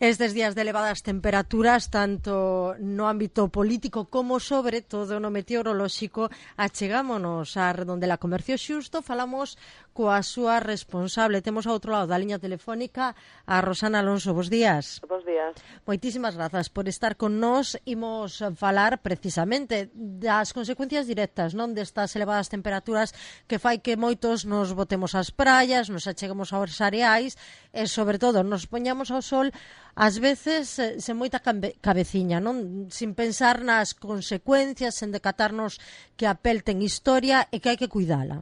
Estes días de elevadas temperaturas, tanto no ámbito político como, sobre todo, no meteorolóxico, achegámonos á Redondela Comercio Xusto, falamos coa súa responsable. Temos ao outro lado da liña telefónica a Rosana Alonso. Bos días. Bos días. Moitísimas grazas por estar con nós. Imos falar precisamente das consecuencias directas, non, destas elevadas temperaturas que fai que moitos nos botemos ás praias, nos acheguemos aos areais e, sobre todo, nos poñamos ao sol ás veces sen moita cabeciña, non? Sin pensar nas consecuencias, sen decatarnos que a pel ten historia e que hai que cuidala.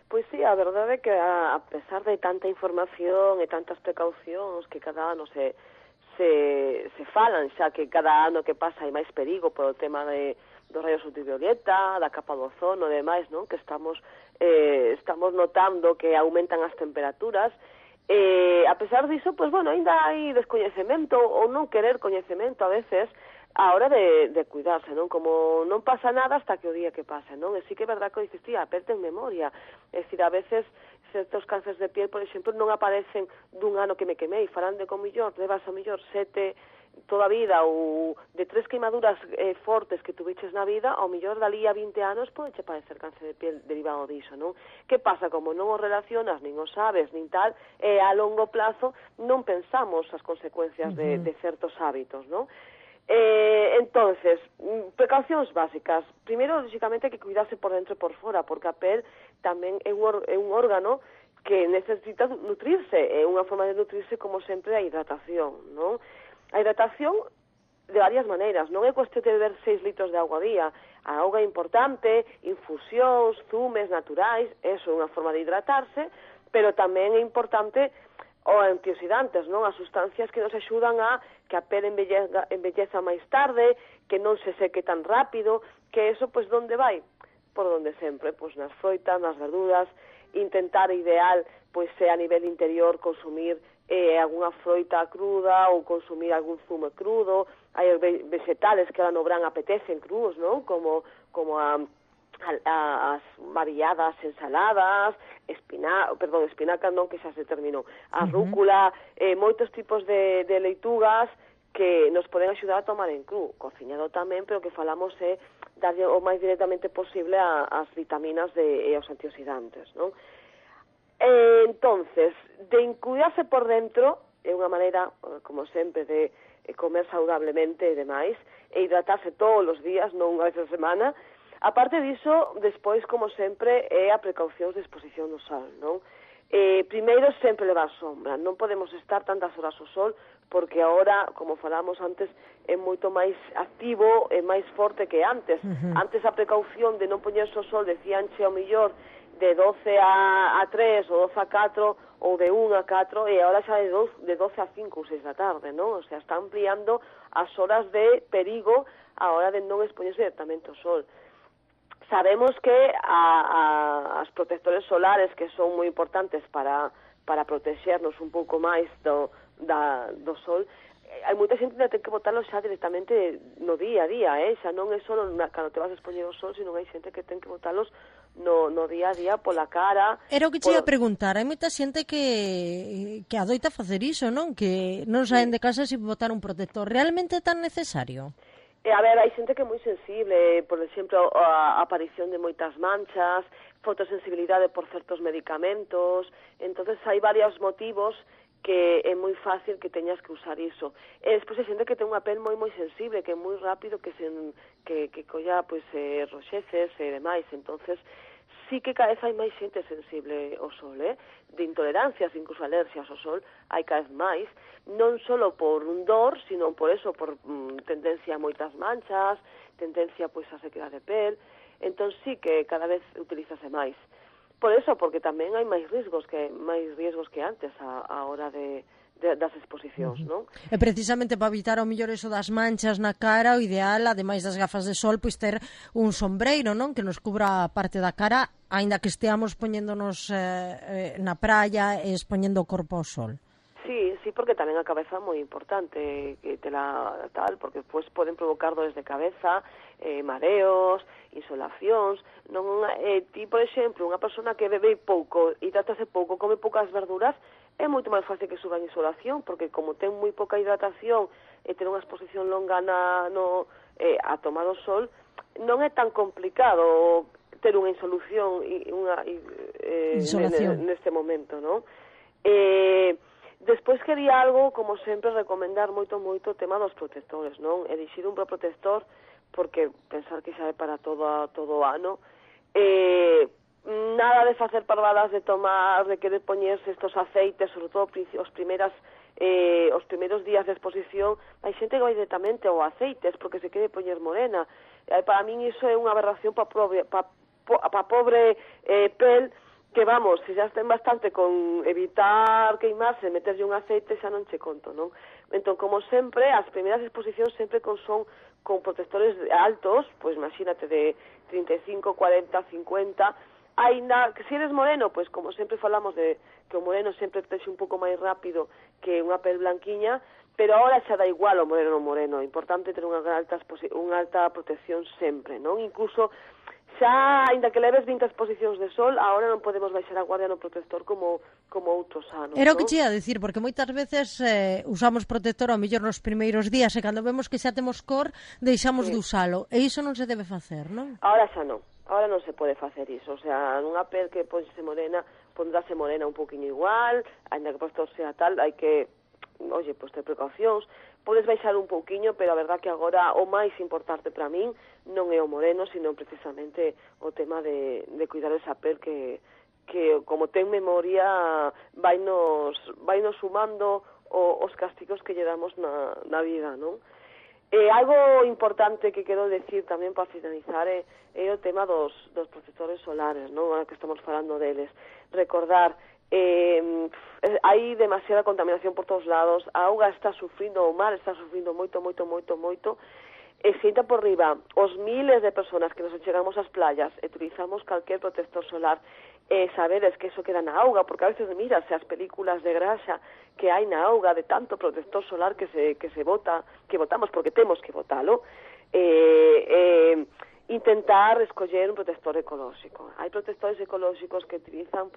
Pois sí, a verdade é que a pesar de tanta información e tantas precaucións que cada ano se falan, xa que cada ano que pasa hai máis perigo polo tema dos rayos ultravioleta, da capa do ozono e demais, non? Que estamos notando que aumentan as temperaturas. A pesar diso, pues bueno, ainda hai descoñecemento ou non querer coñecemento a veces a hora de cuidarse, non? Como non pasa nada hasta que o día que pase, non? E sí que é verdad que dices, tía, aperte en memoria. É dicir, a veces certos cánceres de piel, por exemplo, non aparecen dun ano que me quemei, farán de con millor, levas a millor 7 toda a vida ou de 3 queimaduras fortes que tuviches na vida, ao millor dali a 20 anos pode che parecer cáncer de piel derivado diso, non? Que pasa? Como non o relacionas, nin o sabes, nin tal, a longo plazo non pensamos as consecuencias de certos hábitos, non? Entonces, precaucións básicas. Primeiro, lógicamente, hai que cuidarse por dentro e por fora, porque a pel tamén é un órgano que necesita nutrirse. É unha forma de nutrirse, como sempre, a hidratación, non? A hidratación de varias maneiras. Non é cuestión de beber 6 litros de auga ao día. A auga é importante, infusións, zumes naturais, eso é unha forma de hidratarse, pero tamén é importante os antioxidantes, non? As sustancias que nos axudan a que a pel embelleza máis tarde, que non se seque tan rápido, que eso, pois, donde vai? Por donde sempre, pois, nas froitas, nas verduras, intentar ideal, pois, a nivel interior, consumir algunha froita cruda ou consumir algún zume crudo. Hai vegetales que ahora no verán apetecen crúos, non? Como as variadas ensaladas, espinaca non, que xa se terminou, a rúcula, moitos tipos de leitugas que nos poden axudar a tomar en cru, cociñado tamén, pero que falamos é darlle o máis directamente posible as vitaminas e os antioxidantes, non? Entonces, de cuidarse por dentro é unha maneira, como sempre, de comer saudablemente e demais, e hidratarse todos os días, non unha vez a semana. Aparte diso, despois, como sempre, é a precaucións de exposición no sol, non? Primeiro, sempre levar sombra. Non podemos estar tantas horas ao sol, porque agora, como falamos antes, é moito máis activo e máis forte que antes. Antes a precaución de non poñerse ao sol, decíanche ao millor de 12 a 3 ou 12 a 4 ou de 1 a 4, e agora xa de 12 a 5 ou 6 da tarde, non? O sea, está ampliando as horas de perigo a hora de non expoñerse directamente ao sol. Sabemos que as protectores solares, que son moi importantes para protexernos un pouco máis do sol, hai moita xente que ten que botalos xa directamente no día a día, xa non é só cando te vas a expoñer ao sol, sino hai xente que ten que botalos no día a día pola cara. Era o que te ia preguntar, hai moita xente que adoita facer iso, non? Que non saen de casa sin botar un protector. Realmente é tan necesario? A ver, hai xente que é moi sensible, por exemplo, a aparición de moitas manchas, fotosensibilidade por certos medicamentos. Entonces hai varios motivos que é moi fácil que teñas que usar iso. E despois hai xente que ten unha pel moi sensible, que é moi rápido que colla, pois, roxeces e demais. Entonces sí que cada vez hai máis xente sensible ao sol, de intolerancias, incluso alerxias ao sol, hai cada vez máis, non só por un dor, sino por eso, por tendencia a moitas manchas, tendencia, pois, a sequedad de pel. Entón sí que cada vez utilízase máis. Por eso, porque tamén hai máis riesgos que antes a hora das exposicións, non? E precisamente para evitar ao mellor eso das manchas na cara, o ideal, ademais das gafas de sol, pois ter un sombreiro, non? Que nos cubra a parte da cara, aínda que esteamos poñéndonos na praia e expoñendo o corpo ao sol. Sí, porque tamén a cabeza é moi importante, que te la tal, porque despois poden provocar dores de cabeza, mareos, insolacións. Non, ti, por exemplo, unha persona que bebe pouco, hidratase pouco, come poucas verduras, é moito máis fácil que suba en insolación, porque como ten moi pouca hidratación e ten unha exposición longa a tomar o sol, non é tan complicado ter unha insolución neste momento, non? Despois quería algo, como sempre, recomendar moito o tema dos protectores, non? Elixir un protector, porque pensar que xa é para todo o ano, nada de facer parvadas de tomar, de querer poñerse estos aceites, sobre todo os primeiros días de exposición. Hai xente que vai directamente ao aceites porque se quere poñer morena. Para min iso é unha aberración pa pobre pel, que vamos, se xa estén bastante con evitar queimarse, meterlle un aceite, xa non che conto, non? Entón, como sempre, as primeiras exposicións sempre son con protectores altos, pois imagínate de 35, 40, 50, ainda que se eres moreno, pois como sempre falamos de que o moreno sempre texe un pouco máis rápido que unha pel blanquiña, pero ahora xa dá igual o moreno non moreno, é importante ter unha alta protección sempre, non? Incluso xa, ainda que leves 20 exposicións de sol, agora non podemos baixar a guardia no protector como outros anos. Era o que che ia dicir, porque moitas veces usamos protector ao mellor nos primeiros días e cando vemos que xa temos cor, deixamos de usalo. E iso non se debe facer, non? Ahora xa non. Ahora non se pode facer iso. O sea, nunha pel que ponse morena, pondrase morena un poquinho igual, ainda que o protector sea tal, hai que, pois ter precaucións. Podes baixar un pouquiño, pero a verdad que agora o máis importante para min non é o moreno, sino precisamente o tema de cuidar esa pel que como ten memoria vainos sumando os castigos que lle damos na vida, non? Algo importante que quero decir tamén para finalizar é o tema dos protectores solares, non? Ahora que estamos falando deles. Recordar, hai demasiada contaminación por todos lados, a auga está sufrindo, o mar está sufrindo moito, e sinta por riba os miles de personas que nos chegamos ás playas e utilizamos calquer protector solar, sabedes que eso queda na auga, porque a veces mirase as películas de graxa que hai na auga de tanto protector solar que se bota, que botamos porque temos que botalo, intentar escoller un protector ecolóxico. Hai protectores ecolóxicos que utilizan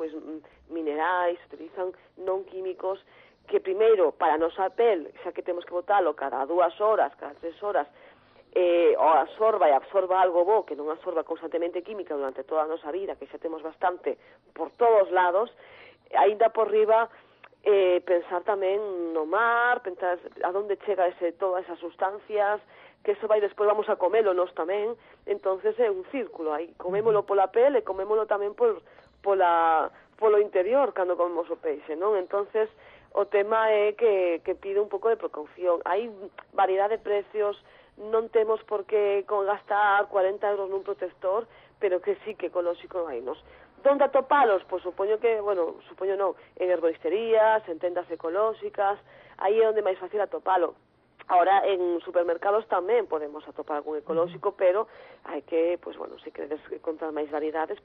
minerais, utilizan non químicos, que primeiro, para a nosa pel, xa que temos que botalo cada 2 horas, cada 3 horas, o absorba algo bo, que non absorba constantemente química durante toda a nosa vida, que xa temos bastante por todos lados, aínda por riba, pensar tamén no mar, pensar a donde chega todas esas sustancias, que eso vai despois vamos a comelo nós tamén, entonces é un círculo, aí comémolo pola pel e comémolo tamén polo interior cando comemos o peixe, non? Entonces o tema é que pide un pouco de precaución. Hai variedade de precios, non temos por que gastar 40 euros nun protector, pero que sí que ecolóxico hainos. Donde atopalos? Pois supoño non, en herboristerías, en tendas ecolóxicas, aí é onde máis fácil atopalo. Ahora, en supermercados tamén podemos atopar algún ecolóxico, pero hai que, se queredes encontrar máis variedades,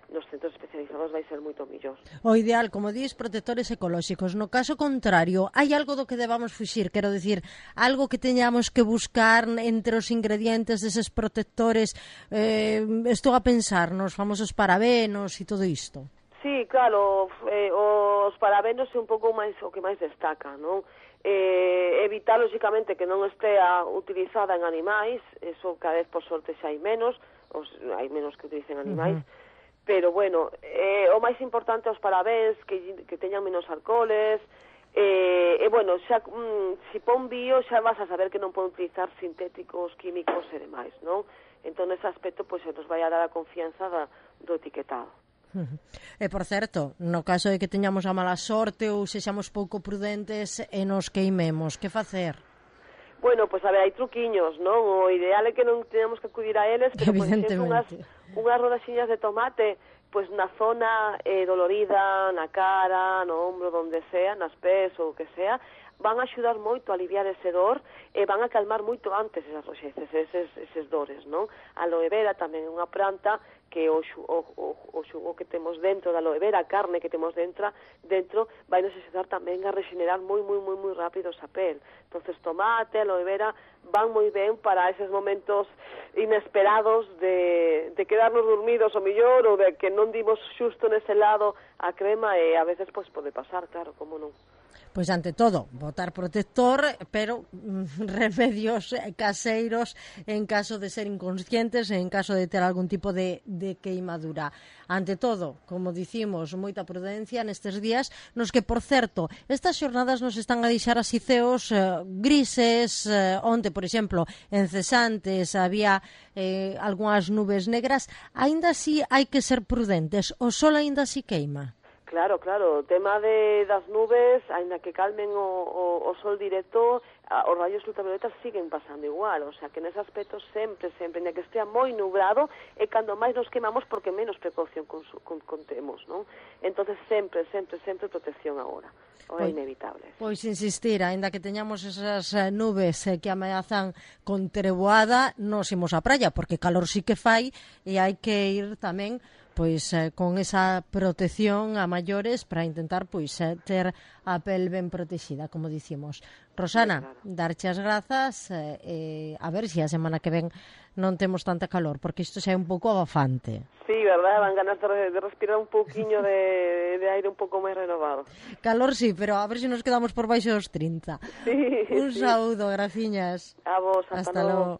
nos centros especializados vai ser moito millor. O ideal, como dis, protectores ecolóxicos. No caso contrario, hai algo do que debamos fuxir? Quero dicir, algo que teñamos que buscar entre os ingredientes deses protectores? Estou a pensar nos famosos parabenos e todo isto. Sí, claro, os parabenos é un pouco máis o que máis destaca, non? Evitar, lógicamente, que non estea utilizada en animais, eso cada vez por sorte xa hai menos que utilicen animais, pero bueno, o máis importante os parabéns, que teñan menos alcoholes, xa, se pon bio xa vas a saber que non poden utilizar sintéticos, químicos e demais, non? Entón, nese aspecto, se nos vai a dar a confianza do etiquetado. E, por certo, no caso de que teñamos a mala sorte ou sexamos pouco prudentes e nos queimemos, que facer? Bueno, a ver, hai truquiños, non? O ideal é que non teñamos que acudir a eles, pero, por exemplo, unhas rodaxiñas de tomate, na zona dolorida, na cara, no ombro, donde sea, nas pés ou o que sea, van a axudar moito a aliviar ese dor e van a calmar moito antes esas roxeces, eses dores, non? A aloe vera tamén é unha planta que o xugo que temos dentro da aloe vera, a carne que temos dentro vai nos axudar tamén a regenerar moi rápido esa pel. Entonces, tomate, aloe vera van moi ben para eses momentos inesperados de quedarnos dormidos o millor, ou de que non dimos xusto nese lado a crema, e a veces pois pode pasar, claro, como non. Pois ante todo, botar protector, pero remedios caseiros en caso de ser inconscientes, en caso de ter algún tipo de queimadura. Ante todo, como dicimos, moita prudencia nestes días, nos que, por certo, estas xornadas nos están a deixar así ceos grises. Onte, por exemplo, en Cesantes había algunhas nubes negras. Aínda así hai que ser prudentes, o sol aínda así queima. Claro, o tema das nubes, aínda que calmen o sol directo, os rayos ultravioletas siguen pasando igual, o sea que nese aspecto sempre, aínda que estea moi nublado, é cando máis nos quemamos porque menos precaución contemos, non? Entonces sempre protección agora, é inevitable. Pois insistir, aínda que teñamos esas nubes que ameazan con treboada, nos imos á praia, porque calor sí que fai, e hai que ir tamén pois con esa protección a maiores para intentar pois ter a pel ben protexida, como dicimos. Rosana, darche as grazas, a ver se a semana que ven non temos tanta calor, porque isto xa é un pouco abafante. Sí, verdad, van ganas de respirar un pouquiño de aire un pouco máis renovado. Calor sí, pero a ver se nos quedamos por baixo dos 30. Sí, un saúdo, graciñas. A vos, hasta logo.